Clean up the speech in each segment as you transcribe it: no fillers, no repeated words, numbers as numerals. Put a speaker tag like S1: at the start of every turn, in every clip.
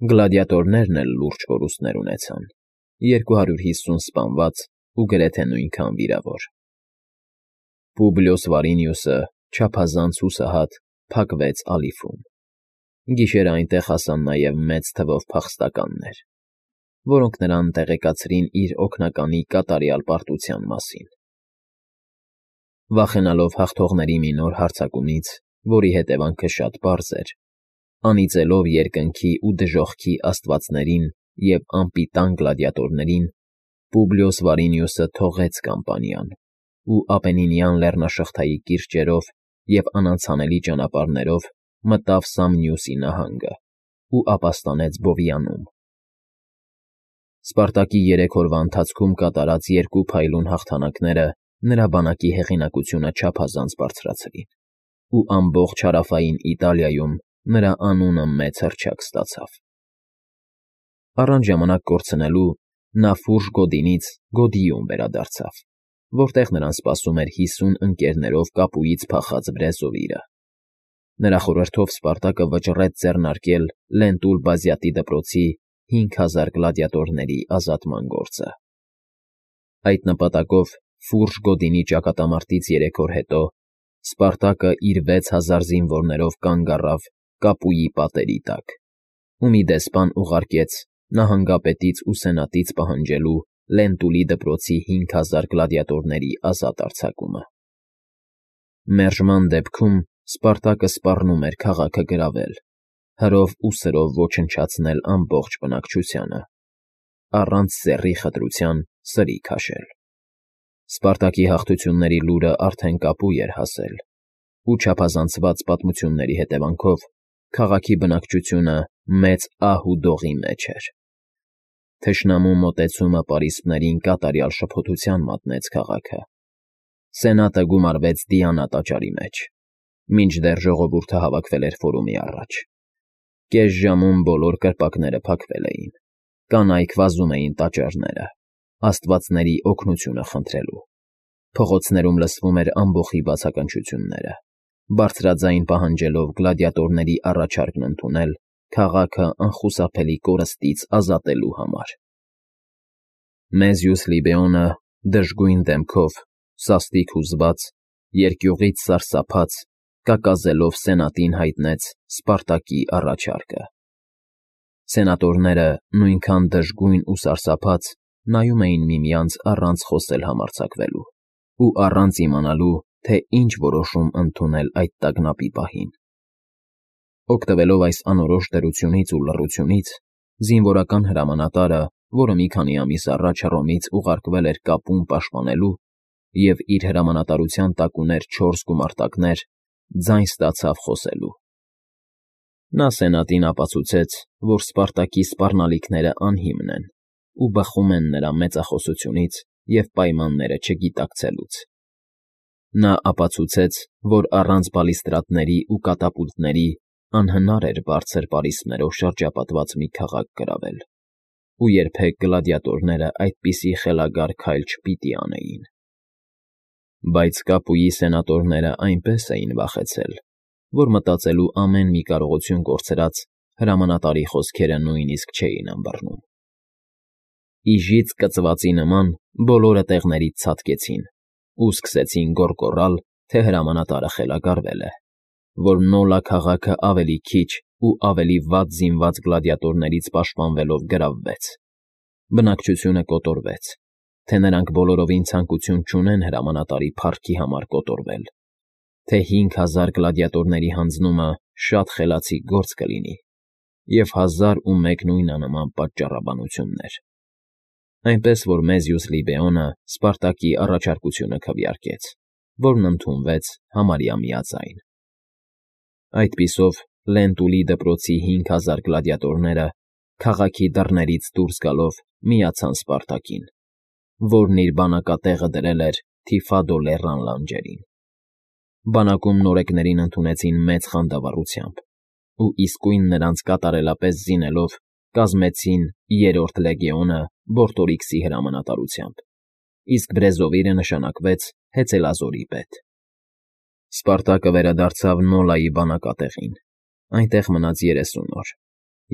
S1: Գլադիատորներն էլ լուրջ կորուստներ ունեցան, 250 սպանված ու գրեթե նույնքան վիրավոր։ Պուբլիոս Վարինիուսը, չափազանց հուսահատ, փակվեց ալիֆում։ Գիշերը այնտեղ հասան նաև մեծ թվով փախստականներ, որոնք նրան տեղեկացրին իր օգնականի կատարյալ պարտության մասին։ Վախենալով հաղթողների մի նոր հարձակումից, որի հետևանքը շատ պարզ էր, անիծելով երկնքի ու դժոխքի աստվածներին և անպիտան գլադիատորներին, Պուբլիոս Վարինիուսը թողեց կամպանիան ու Ապենինյան լեռնաշղթայի կիրճերով և անանցանելի ճանապարհներով մտավ Սամնիուսի նահանգը ու ապաստանեց Բովիանում։ Սպարտակի 3 օրվա ընթացքում կատարած 2 փայլուն հաղթանակները նրա բանակի հեղինակությունը չափազանց բարձրացրին, ու ամբողջ հարավային Իտալիայում նրա անունը մեծ հռչակ ստացավ։ Առանց ժամանակ կորցնելու նա Ֆուրժ Գոդինից Գոդիում վերադարձավ, որտեղ նրան սպասում էր 50 ընկերներով կապույից փախած Բրեզովիրը։ Նրա խորհրդով Սպարտակը վճռեց ձեռնարկել Լենտուլ Բազյատի դպրոցի 5000 գլադիատորների ազատման գործը։ Այդ նպատակով Ֆուրժ Գոդինի ճակատամարտից 3 օր հետո Սպարտակը իր 6000 զինվորներով կանգ առավ Կապույի պատերի տակ, ու մի դեսպան ուղարկեց նահանգապետից ու սենատից պահանջելու Լենտուլի դպրոցի 5000 գլադիատորների ազատ արձակումը։ Մերժման դեպքում Սպարտակը սպառնում էր քաղաքը գրավել, հրով ու սրով ոչնչացնել ամբողջ բնակչությանը, առանց սեռի խտրության սրի քաշել։ Սպարտակի հաղթությունների լուրը արդեն Կապույ էր հասել, ու չափազանցված պատմությունների հետևանքով քաղաքի բնակչությունը մեծ ահ ու դողի մեջ էր։ Թշնամու մոտեցումը պարիսպներին կատարյալ շփոթության մատնեց քաղաքը։ Սենատը գումարվեց Դիանա տաճարի մեջ, մինչդեռ ժողովուրդը հավաքվել էր ֆորումի առաջ։ Կես ժամում բոլոր կրպակները փակվել էին, կանայք վազում էին տաճարները, աստվածների օգնությունը խնդրելու։ Փողոցներում լսվում էր ամբոխի բացականչությունները, բարձրաձայն պահանջելով գլադիատորների առաջարկն ընդունել քաղաքը անխուսափելի կորստից ազատելու համար։ Մեզյուս Լիբեոնը դժգույն դեմքով, սաստիկ հուզված, երկյուղից սարսափած, կակազելով սենատին հայտնեց Սպարտակի առաջարկը։ Սենատորները, նույնքան դժգույն ու սարսափած, նայում էին միմյանց առանց խոսել համարձակվելու ու առանց իմանալու, թե ինչ որոշում ընդունել այդ տագնապի պահին։ Օգտվելով այս անորոշ դրությունից ու լռությունից, զինվորական հրամանատարը, որը մի քանի ամիս առաջ Հռոմից ուղարկվել էր Կապուն պաշտպանելու և իր հրամանատարության տակ ուներ 4 գումարտակներ, ձայն ստացավ խոսելու։ Նա սենատին ապացուցեց, որ Սպարտակի սպառնալիքները անհիմն են ու բխում են նրա մեծախոսությունից և պայմանները չգիտակցելուց։ Նա ապացուցեց, որ առանց բալիստրատների ու կատապուլտների անհնար էր բարձր պարիսպներով շրջապատված մի քաղաք գրավել, ու երբեք գլադիատորները այդպիսի խելագար քայլ չպիտի անեին։ Բայց Կապույի սենատորները այնպես էին վախեցել, որ մտածելու ամեն մի կարողություն կորցրած հրամանատարի խոսքերը նույնիսկ չէին ըմբռնում։ Իժից կծվածի նման բոլորը տեղներից ցատկեցին ու սկսեցին գոռգոռալ, թե հրամանատարը խելագարվել է, որ Նոլա քաղաքը ավելի քիչ ու ավելի վատ զինված գլադիատորներից պաշտպանվելով գրավվեց։ Բնակչությունը կոտորվեց, թե նրանք բոլորովին ցանկություն չունեն հրամանատարի փառքի համար կոտորվել, թե 5000 գլադիատորների հանձնումը շատ խելացի գործ կլինի, և 1001 նույնանման պատճառաբանություններ։ Այնպես որ Մեզյուս Լիբեոնը Սպարտակի առաջարկությունը քվեարկեց, որն ընդունվեց համարյա միաձայն։ Այդպիսով Լենտուլի դպրոցի 5000 գլադիատորները քաղաքի դռներից դուրս գալով միացան Սպարտակին, որն իր բանակատեղը դրել էր Թիֆադո լեռան լանջերին։ Բանակում նորեկներին ընդունեցին մեծ խանդավառությամբ ու իսկույն նրանց կատարելապես զինելով կազմեցին 3-րդ լեգիոնը Բորտորիքսի հրամանատարությամբ, իսկ Բրեզովիրը նշանակվեց հեծելազորի պետ։ Սպարտակը վերադարձավ Նոլայի բանակատեղին, այնտեղ մնաց 30 օր,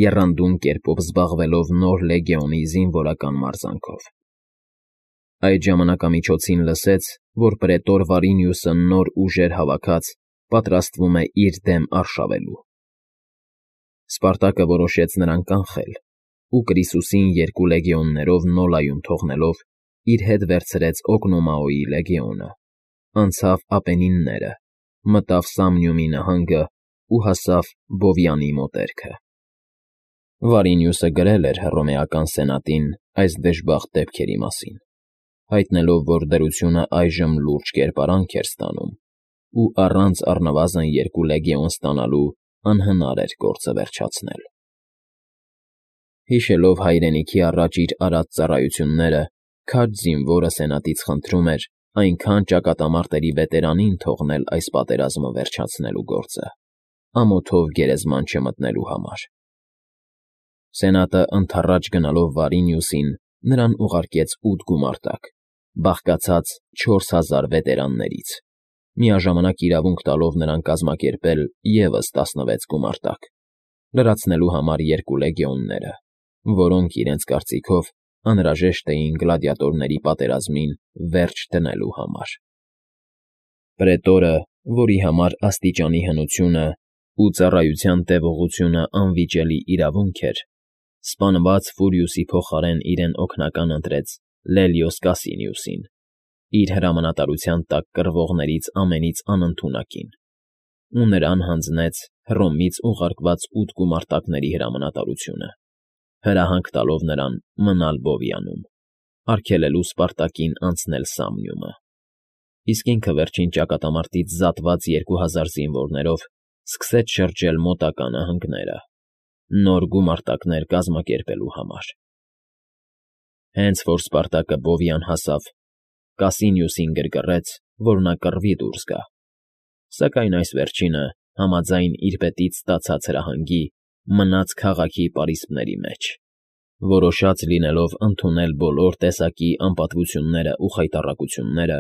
S1: եռանդուն կերպով զբաղվելով նոր լեգիոնի զինվորական մարզանքով։ Այդ ժամանակամիջոցին լսեց, որ պրետոր Վարինիուսը նոր ուժեր հավաքած պատրաստվում է իր դեմ արշավելու։ Սպարտակը որոշեց նրան կանխել ու Կրիսուսին 2 լեգիոններով Նոլայում թողնելով իր հետ վերցրեց Օգնոմաոյի լեգիոնը, անցավ Ապենինները, մտավ Սամնիումի նահանգը ու հասավ Բովյանի մոտերքը։ Վարինիուսը գրել էր Հռոմեական սենատին այս դժբախտ դեպքերի մասին, հայտնելով, որ դրությունը այժմ լուրջ կերպարանք էր ստանում ու առանց առնվազն 2 լեգիոն ստանալու անհնար էր գործը վերջացնել։ Հիշելով հայրենիքի առաջ իր արած ծառայությունները, քաջ զինվորը սենատից խնդրում էր այնքան ճակատամարտերի վետերանին թողնել այս պատերազմը վերջացնելու գործը, ամոթով գերեզման չմտնելու համար։ Սենատը ընդառաջ գնալով Վարինիուսին նրան ուղարկեց 8 գումարտակ, բաղկացած 4000 վետերաններից, միաժամանակ իրավունք տալով նրան կազմակերպել ևս 16 գումարտակ, լրացնելու համար 2 լեգիոնները, որոնք իրենց կարծիքով անհրաժեշտ էին գլադիատորների պատերազմին վերջ դնելու համար։ Պրետորը, որի համար աստիճանի հնությունը ու ծառայության տևողությունը անվիճելի իրավունք էր, սպանված Ֆուրիուսի փոխարեն իրեն օգնական ընտրեց Լելիոս Կասինիուսին, իր հրամանատարության տակ կռվողներից ամենից անընդունակին, ու նրան հանձնեց Հռոմից ուղարկված 8 գումարտակների հրամանատարությունը, հրահանգ տալով նրան մնալ Բովյանում, արգելելու Սպարտակին անցնել Սամնիումը, իսկ ինքը վերջին ճակատամարտից զատված 2000 զինվորներով սկսեց շրջել մոտակա նահանգները, նոր գումարտակներ կազմակերպելու համար։ Հենց որ Սպարտակը Բովյան հասավ, Կասինիուսին գրգռեց, որ նա կռվի դուրս գա, սակայն այս վերջինը, համաձայն իր պետից ստացած հրահանգի, մնաց քաղաքի պարիսպների մեջ, որոշած լինելով ընդունել բոլոր տեսակի անպատվությունները ու խայտառակությունները,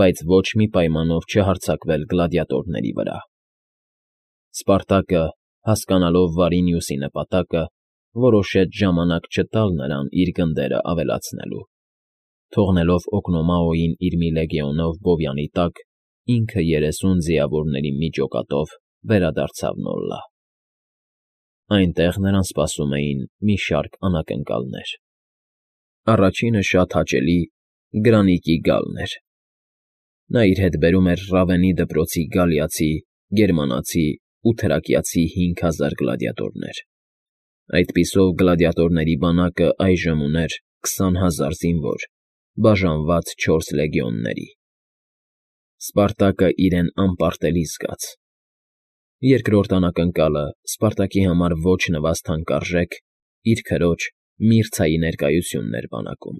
S1: բայց ոչ մի պայմանով չհարձակվել գլադիատորների վրա։ Սպարտակը, հասկանալով Վարինիուսի նպատակը, որոշեց ժամանակ չտալ նրան իր գնդերը ավելացնելու, թողնելով Օգնոմաոյին իր մի լեգիոնով Բովյանի տակ, ինքը 30 ձիավորների մի ջոկատով վերադարձավ Նոլլա։ Այնտեղ նրան սպասում էին մի շարք անակնկալներ։ Առաջինը շատ հաճելի Գրանիկի գալն էր։ Նա իր հետ բերում էր Ռավենի դպրոցի գալիացի, գերմանացի ու թրակիացի 5000 գլադիատորներ։ Այդպիսով գլադիատորների բանակը այժմ ուներ 20000 զինվոր, բաժանված 4 լեգիոնների։ Սպարտակը իրեն անպարտելի զգաց։ Երկրորդ անակնկալը Սպարտակի համար ոչ նվազ թանկարժեք իր քրոջ Միրցայի ներկայությունն էր բանակում։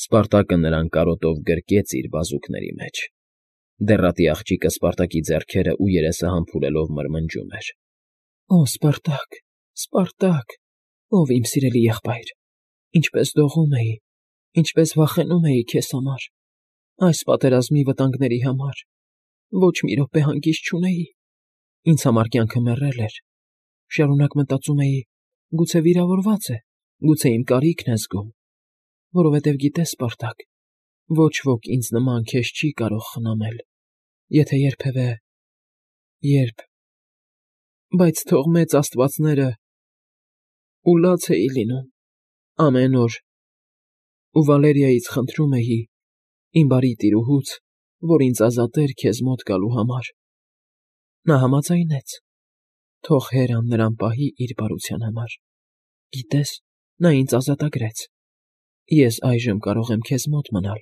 S1: Սպարտակը նրան կարոտով գրկեց իր բազուկների մեջ։ Դեռատի աղջիկը Սպարտակի ձեռքերը ու երեսը համբուրելով մրմնջում էր. «Օ, Սպարտակ, Սպարտակ, ով իմ սիրելի եղբայր, ինչպես դողում էի, ինչպես վախենում էի քեզ համար, այս պատերազմի վտանգների համար, ոչ մի րոպե հանգիստ չունեի, ինձ համար կյանքը մեռել էր, շարունակ մտածում էի, գուցե վիրավորված է, գուցե իմ կարիքն է զգում, որովհետև գիտես, Սպարտակ, ոչ ոք ինձ նման քեզ չի կարող խնամել, եթե երբ, բայց թող մեծ աստվածները, ու լաց էի լինում, ամեն օր, ու Վալերիայից խնդրում էի, իմ բարի տիրուհուց, որ ինձ ազատեր քեզ մոտ գալու համար։ Նա համաձայնեց, թող Հերան նրան պահի իր բարության համար, գիտես, նա ինձ ազատագրեց, ես այժմ կարող եմ քեզ մոտ մնալ»։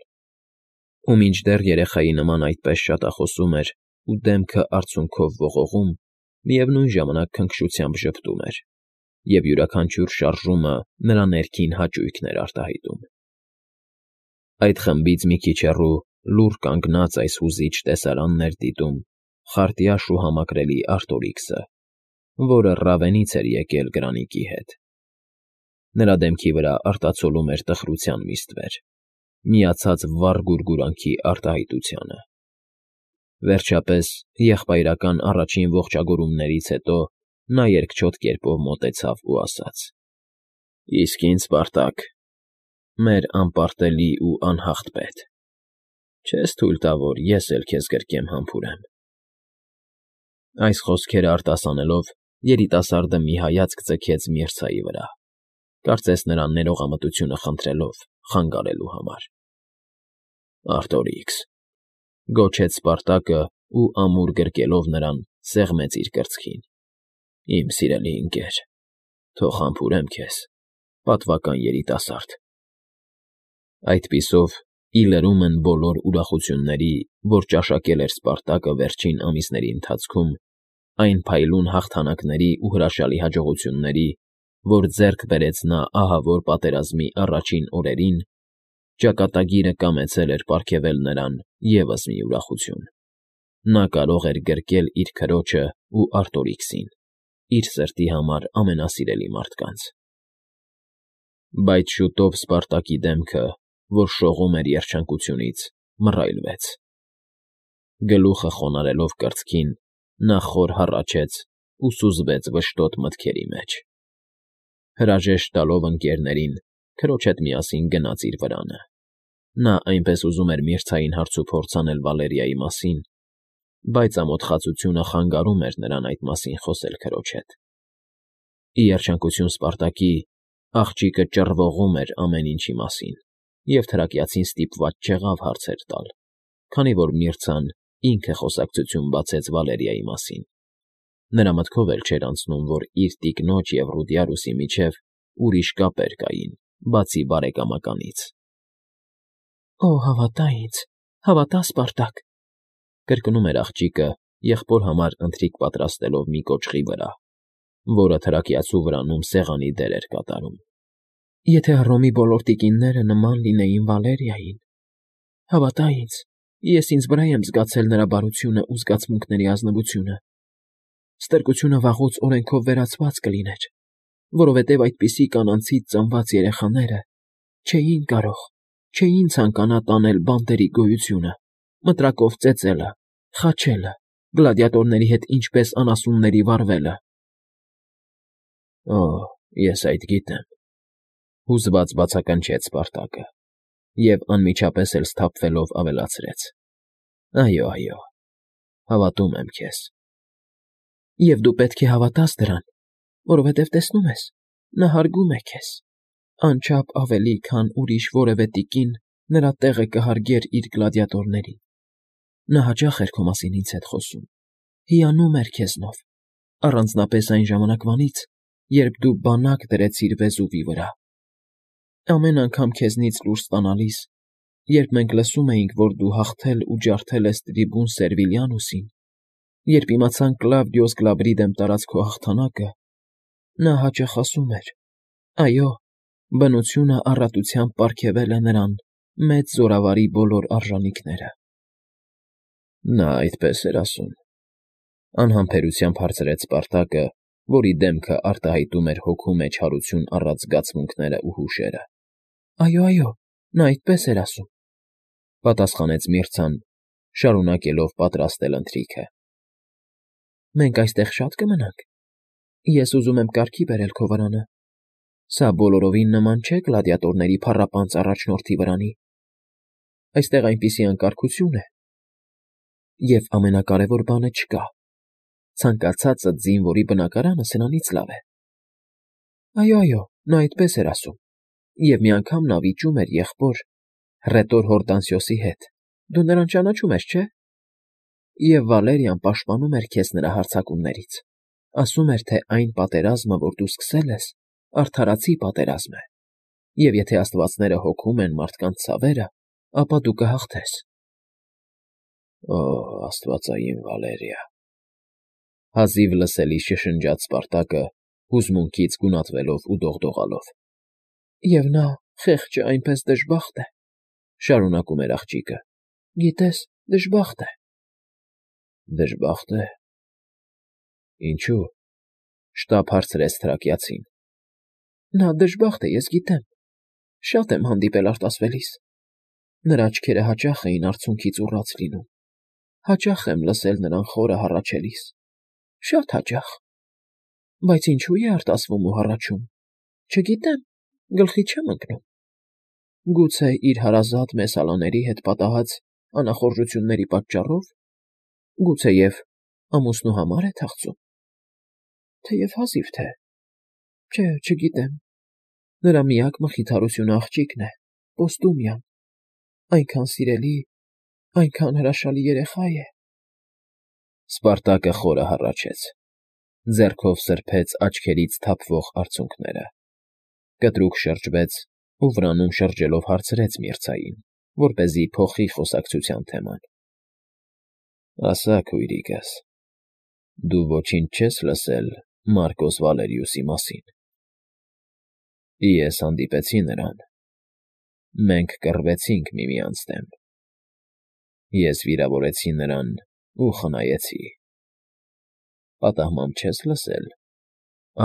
S1: Ու մինչդեռ երեխայի նման այդպես շատախոսում էր ու դեմքը արցունքով ողողում, միևնույն ժամանակ քնքշությամբ ժպտում էր, և յուրաքանչյուր շարժումը նրա ներքին հաճույքն էր արտահայտում։ Այդ խմբից մի քիչ հեռու լուռ կանգնած այս հուզիչ տեսարանն էր դիտում խարտյաշ ու համակրելի Արտորիքսը, որը Ռավենից էր եկել Գրանիկի հետ։ Նրա դեմքի վրա արտացոլում էր տխրության մի ստվեր, միացած վառ գուրգուրանքի արտահայտությանը։ Վերջապես, եղբայրական առաջին ողջագուրումներից հետո նա երկչոտ կերպով մոտեցավ ու ասաց. «Իսկ ինձ, Սպարտակ, մեր անպարտելի ու անհաղթ պետ, չես թույլ տա, որ ես էլ քեզ գրկեմ համբուրեմ»։ Այս խոսքերը արտասանելով, երիտասարդը մի հայացք ձգեց մերձայի վրա, կարծես նրան ներողամտությունը խնդրելով, խանգարելու համար։ «Արտորիքս», գոչեց Սպարտակը ու ամուր գրկելով նրան, սեղմեց իր կրծքին։ «Իմ սիրելի ընկեր, թող համբուրեմ քեզ, պատվական երիտասարդ»։ Այդպիսով, ի լրումն բոլոր ուրախությունների, որ ճաշակել էր Սպարտակը վերջին ամիսների ընթացքում, այն փայլուն հաղթանակների ու հրաշալի հաջողությունների, որ ձեռք բերեց նա ահավոր պատերազմի առաջին օրերին, ճակատագիրը կամեցել էր պարգևել նրան ևս մի ուրախություն. նա կարող էր գրկել իր քրոջը ու Արտորիքսին, իր սրտի համար ամենասիրելի մարդկանց։ Բայց շուտով Սպարտակի դեմքը, որ շողում էր երջանկությունից, մռայլվեց։ Գլուխը խոնարհելով կրծքին, նա խոր հառաչեց ու սուզվեց վշտոտ մտքերի մեջ։ Հրաժեշտ տալով ընկերներին, քրոջ հետ միասին գնաց իր վրանը։ Նա այնպես ուզում էր մերձային հարցուփորձ անել Վալերիայի մասին, բայց ամոթխածությունը խանգարում էր նրան այդ մասին խոսել քրոջ հետ։ Ի երջանկություն Սպարտակի, աղջիկը ճռվողում էր ամեն ինչի մասին և թրակիացին ստիպված չեղավ հարցեր տալ, քանի որ Միրցան ինքը խոսակցություն բացեց Վալերիայի մասին։ Նրա մտքով էլ չէր անցնում, որ իր տիկնոջ և Ռուդիարուսի միջև ուրիշ կապեր կային, բացի բարեկամականից։ «Օ, հավատա ինձ, հավատա, Սպարտակ», կրկնում էր աղջիկը, եղբոր համար ընթրիք պատրաստելով մի կոճղի վրա, որը թրակիացու վրանում սեղանի դեր էր կատարում։ «Եթե Հռոմի բոլոր տիկինները նման լինեին Վալերիային, հավատա ինձ, ես ինձ վրա եմ զգացել նրա բարությունն ու զգացմունքների ազնվությունը։ Ստրկությունը վաղուց օրենքով վերացված կլիներ, որովհետև այդպիսի կանանցից ծնված երեխաները չէին ցանկանա տանել բանտերի գոյությունը, մտրակով ծեծելը, խաչելը, գլադիատորների հետ ինչպես անասունների վարվելը»։ «Օ, ես այդ գիտեմ», հուզված բացականչեց Սպարտակը և անմիջապես էլ սթափվելով ավելացրեց. «Այո, այո, հավատում եմ քեզ»։ «Եվ դու պետք է հավատաս դրան, որովհետև տեսնում ես, նա հարգում է քեզ, անչափ ավելի, քան ուրիշ որևէ տիկին նրա տեղը կհարգեր իր գլադիատորներին։ Նա հաճախ էր քո մասին ինձ հետ խոսում, հիանում էր քեզնով, առանձնապես այն ժամանակվանից, երբ դու բանակ դրեցիր վեզուվի վրա։ Ամեն անգամ քեզնից լուր ստանալիս, երբ մենք լսում էինք, որ դու հաղթել ու ջարդել ես տրիբուն Սերվիլիանուսին, երբ իմացանք Կլավդիոս Գլաբրի դեմ տարած քո հաղթանակը, նա հաճախ ասում էր. «Այո, բնությունը առատությամբ պարգևել է նրան մեծ զորավարի բոլոր արժանիքները»։ «Նա այդպես էր ասում», անհամբերությամբ հարցրեց Սպարտակը, որի դեմքը արտահայտում էր հոգու մեջ հարություն առած զգացմունքները ու հուշերը։ «Այո, այո, նա այդպես էր ասում», պատասխանեց Միրցան, շարունակելով պատրաստել ընթրիքը։ «Մենք այստեղ շա՞տ կմնանք։ Ես ուզում եմ կարգի բերել քո վրանը։ Սա բոլորովին նման չէ գլադիատորների փառապանծ առաջնորդի վրանի։ Այստեղ այնպիսի անկարգություն է։ Եվ ամենակարևոր բանը չկա. ցանկացածը զինվորի բնակարանը սրանից լավ է»։ «Այո, այո, նա այդպես էր ասում, և մի անգամ նա վիճում էր եղբոր հռետոր Հորդանսիոսի հետ, դու նրան ճանաչում ես, չէ՞։ Եվ Վալերիան պաշտպանում էր քեզ նրա հարձակումներից, ասում էր, թե այն պատերազմը, որ դու սկսել ես, արդարացի պատերազմ է, և եթե աստվածները հոգում են մարդկանց ցավերը, ապա դու կհաղթես»։ «Օ, աստվածային Վալերիա», հազիվ լսելի շշնջաց Սպարտակը, հուզմունքից գունատվելով ու դողդողալով։ «Եվ նա, խեղճը, այնպես դժբախտ է», շարունակում էր աղջիկը։ «Գիտես, դժբախտ է»։ «Դժբախտ է։ Ինչու՞», շտապ հարցրեց թրակիացին։ «Նա դժբախտ է, ես գիտեմ, շատ եմ հանդիպել արտասվելիս։ Նրա աչքերը հաճախ էին արցունքից ուռած լինում, հաճախ եմ լսել նրան խորը հառաչելիս, շատ հաճախ։
S2: Բայց ինչու է արտասվում ու հառաչում։ Չգիտեմ, գլխի չեմ ընկնում։ Գուցե իր հարազատ Մեսալաների հետ պատահած անախորժությունների պատճառո՞վ, գուցեև ամուսնու համար է թախծում, թեև հազիվ թե, չէ, չգիտեմ, նրա միակ մխիթարությունը աղջիկն է, Պոստումիան, այնքան սիրելի, այնքան հրաշալի երեխա է։
S1: Սպարտակը խորը հառաչեց, ձեռքով սրբեց աչքերից թափվող արցունքները, կտրուկ շրջվեց ու վրանում շրջելով հարցրեց մերձային, որպեսզի փոխի խոսակցության թեման. Ասա, քույրիկս, դու ոչինչ չես լսել Մարկոս Վալերիուսի մասին։ Ես հանդիպեցի նրան, մենք կռվեցինք միմյանց դեմ, ես վիրավորեցի նրան ու խնայեցի։ Պատահմամբ չես լսել,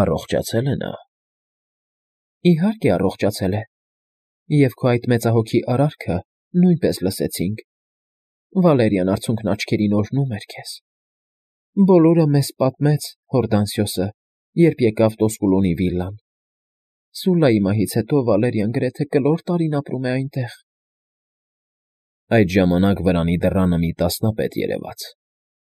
S1: առողջացե՞լ է նա։
S2: Իհարկե առողջացել է, և քո այդ մեծահոգի արարքը նույնպես լսեցինք։ Վալերիան արցունքն աչքերին օրհնում էր քեզ։ Բոլորը մեզ պատմեց Հորդանսիոսը, երբ եկավ Տոսկուլոնի վիլլան։ Սուլայի մահից հետո Վալերիան գրեթե կլոր տարին ապրում է այնտեղ։
S1: Այդ ժամանակ վրանի դռանը մի տասնապետ երևաց,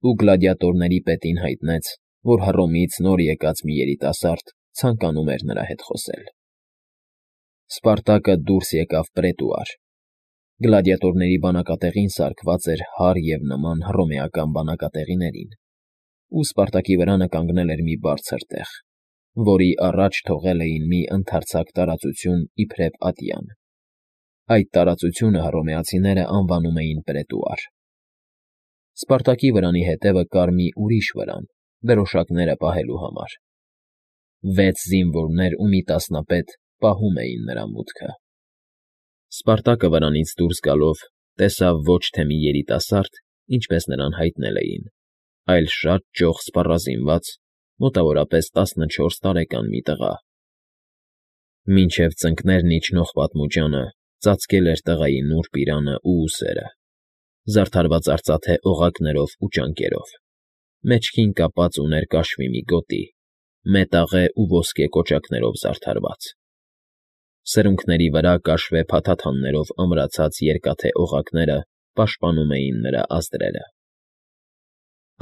S1: ու գլադիատորների պետին հայտնեց, որ Հռոմից նոր եկած մի երիտասարդ ցանկանում էր նրա հետ խոսել։ Սպարտակը դուրս եկավ պրետուար։ Գլադիատորների բանակատեղին սարքված էր հարթ և նման հռոմեական բանակատեղիներին, ու Սպարտակի վրանը կանգնել էր մի բարձր տեղ, որի առաջ թողել էին մի ընդարձակ տարածություն իբրև ատյան։ Այդ տարածությունը հռոմեացիները անվանում էին պրետուար։ Սպարտակի վրանի հետևը կար մի ուրիշ վրան, դրոշակները պահելու համար։ 6 զինվորներ ու մի տասնապետ պահում էին նրա մուտքը։ Սպարտակը վրանից դուրս գալով տեսավ ոչ թե մի երիտասարդ, ինչպես նրան հայտնել էին, այլ շատ ճոխ սպառազինված, մոտավորապես 14 տարեկան մի տղա։ Մինչև ծնկներն իջնող պատմուճանը ծածկել էր տղայի նուրբ իրանը ու ուսերը, զարդարված արծաթե օղակներով ու ճանկերով, մեջքին կապած ուներ կաշվի մի գոտի, մետաղե ու ոսկե կոճակներով զարդարված։ Սրունքների վրա կաշվե փաթաթաններով ամրացած երկաթե օղակները պաշտպանում էին նրա ազդրերը։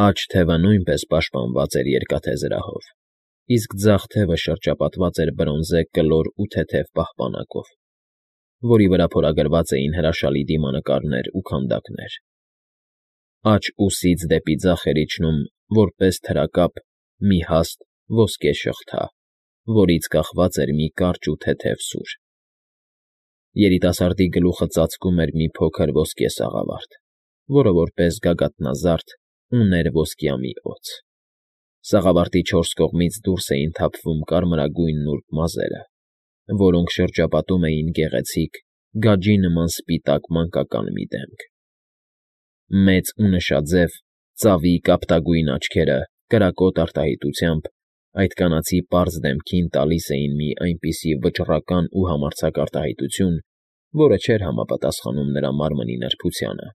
S1: Աջ թևը նույնպես պաշտպանված էր երկաթե զրահով, իսկ ձախ թևը շրջապատված էր բրոնզե կլոր ու թեթև պահպանակով, որի վրա փորագրված էին հրաշալի դիմանկարներ ու քանդակներ։ Աջ ուսից դեպի ձախ էր իջնում, որպես թրակապ, մի հաստ ոսկե շղթա, որից կախված էր մի կարճ ու թեթև սուր։ Երիտասարդի գլուխը ծածկում էր մի փոքր ոսկե սաղավարտ, որը որպես գագաթնազարդ ուներ ոսկյամի օձ։ Սաղավարտի 4 կողմից դուրս էին թափվում կարմրագույն նուրբ մազերը, որոնք շրջապատում էին գեղեցիկ, գաջի նման սպիտակ մանկական մի դեմք։ Մեծ ու նշաձև, ծավի կապտագույն աչքերը կրակոտ արտահայտությամբ այդ կանացի պարզ դեմքին տալիս էին մի այնպիսի վճռական ու համարձակ արտահայտություն, որը չէր համապատասխանում նրա մարմնի նրբությանը։